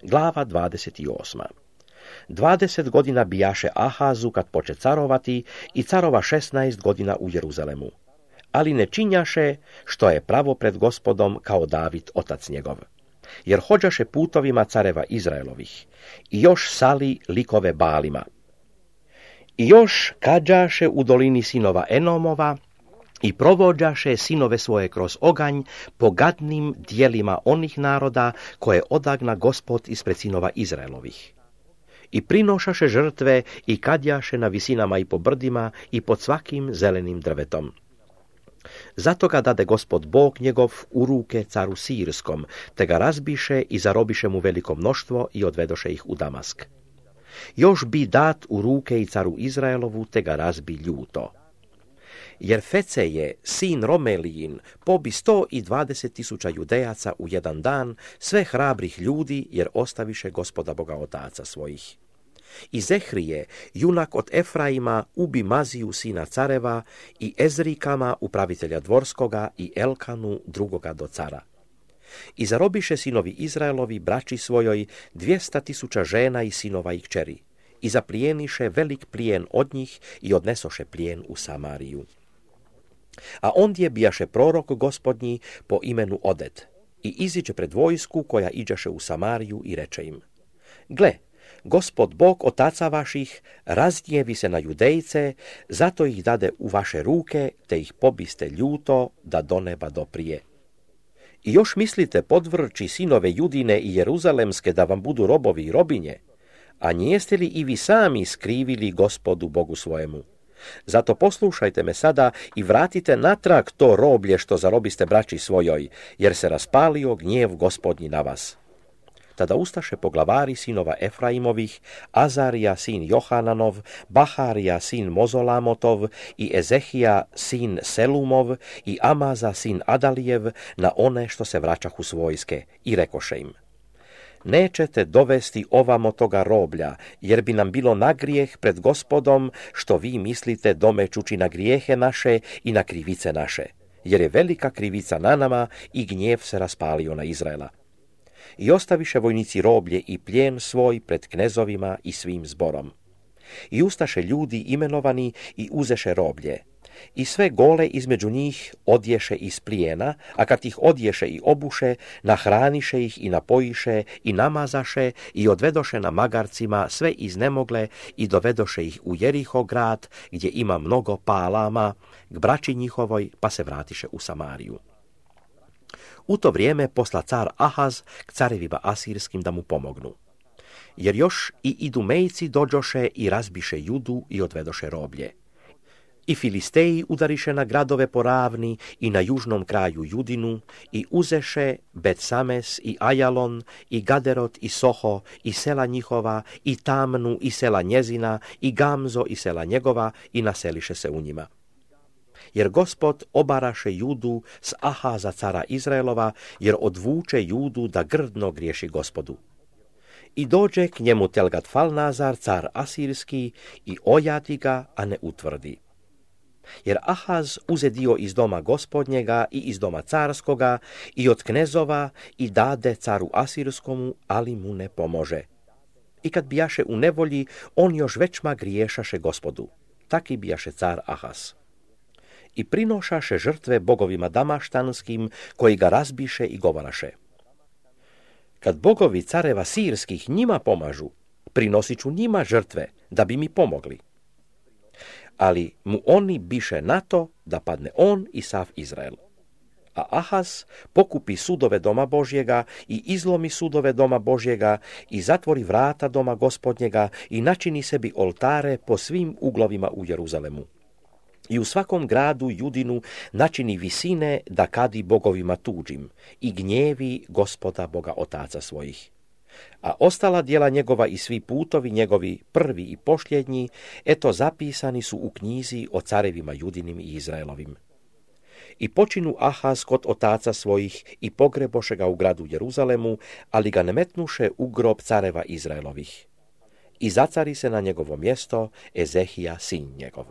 Glava 28. 20 godina bijaše Ahazu kad poče carovati i carova 16 godina u Jeruzalemu. Ali ne činjaše što je pravo pred Gospodom kao David otac njegov. Jer hođaše putovima careva Izraelovih i još sali likove Balima. I još kađaše u dolini sinova Enomova i provođaše sinove svoje kroz oganj po gadnim dijelima onih naroda koje odagna Gospod ispred sinova Izraelovih. I prinošaše žrtve i kadjaše na visinama i po brdima i pod svakim zelenim drvetom. Zato ga dade Gospod Bog njegov u ruke caru Sirskom, te ga razbiše i zarobiše mu veliko mnoštvo i odvedoše ih u Damask. Još bi dat u ruke i caru Izraelovu, te ga razbi ljuto. Jer Feceje, sin Romelijin, pobi 120.000 Judejaca u jedan dan, sve hrabrih ljudi, jer ostaviše Gospoda Boga otaca svojih. I Zehrije, junak od Efraima, ubi Maziju sina careva i Ezrikama, upravitelja dvorskoga, i Elkanu, drugoga do cara. I zarobiše sinovi Izraelovi braći svojoj 200.000 žena i sinova i kćeri. I zaplijeniše velik plijen od njih i odnesoše plijen u Samariju. A ondje bijaše prorok Gospodnji po imenu Oded i iziđe pred vojsku koja iđaše u Samariju i reče im: Gle, Gospod Bog otaca vaših razgnjevi se na Judejce, zato ih dade u vaše ruke, te ih pobiste ljuto da do neba doprije. I još mislite podvrći sinove Judine i Jeruzalemske da vam budu robovi i robinje, a njeste li i vi sami skrivili Gospodu Bogu svojemu? Zato poslušajte me sada i vratite natrag to roblje što zarobiste braći svojoj, jer se raspalio gnjev Gospodnji na vas. Tada ustaše poglavari sinova Efraimovih, Azarija sin Johananov, Baharija sin Mozolamotov i Ezehija sin Selumov i Amaza sin Adalijev na one što se vraćahu s vojske i rekoše im: Nećete dovesti ovamo toga roblja, jer bi nam bilo na grijeh pred Gospodom, što vi mislite domećući na grijehe naše i na krivice naše, jer je velika krivica na nama i gnjev se raspalio na Izraela. I ostaviše vojnici roblje i plijen svoj pred knezovima i svim zborom. I ustaše ljudi imenovani i uzeše roblje. I sve gole između njih odješe iz plijena, a kad ih odješe i obuše, nahraniše ih i napojiše i namazaše i odvedoše na magarcima sve iznemogle i dovedoše ih u Jeriho grad, gdje ima mnogo palama, k braći njihovoj, pa se vratiše u Samariju. U to vrijeme posla car Ahaz k carevima asirskim da mu pomognu. Jer još i Idumejci dođoše i razbiše Judu i odvedoše roblje. I Filisteji udariše na gradove po ravni i na južnom kraju Judinu i uzeše Bet-Sames i Ajalon i Gaderot i Soho i sela njihova i Tamnu i sela njezina i Gamzo i sela njegova i naseliše se u njima. Jer Gospod obaraše Judu s Ahaza cara Izraelova, jer odvuče Judu da grdno griješi Gospodu. I dođe k njemu Telgat-Falnazar, car asirski, i ojati ga, a ne utvrdi. Jer Ahaz uze dio iz doma Gospodnjega i iz doma carskoga i od knezova i dade caru asirskomu, ali mu ne pomože. I kad bijaše u nevolji, on još većma griješaše Gospodu. Taki bijaše car Ahaz. I prinošaše žrtve bogovima damaštanskim, koji ga razbiše i govoraše: Kad bogovi careva sirskih njima pomažu, prinosit ću njima žrtve, da bi mi pomogli. Ali mu oni biše na to da padne on i sav Izrael. A Ahaz pokupi sudove doma Božjega i izlomi sudove doma Božjega i zatvori vrata doma Gospodnjega i načini sebi oltare po svim uglovima u Jeruzalemu. I u svakom gradu Judinu načini visine da kadi bogovima tuđim i gnjevi Gospoda Boga otaca svojih. A ostala djela njegova i svi putovi njegovi, prvi i posljednji, eto zapisani su u knjizi o carevima Judinim i Izraelovim. I počinu Ahaz kod otaca svojih i pogreboše ga u gradu Jeruzalemu, ali ga ne metnuše u grob careva Izraelovih. I zacari se na njegovo mjesto Ezehija sin njegov.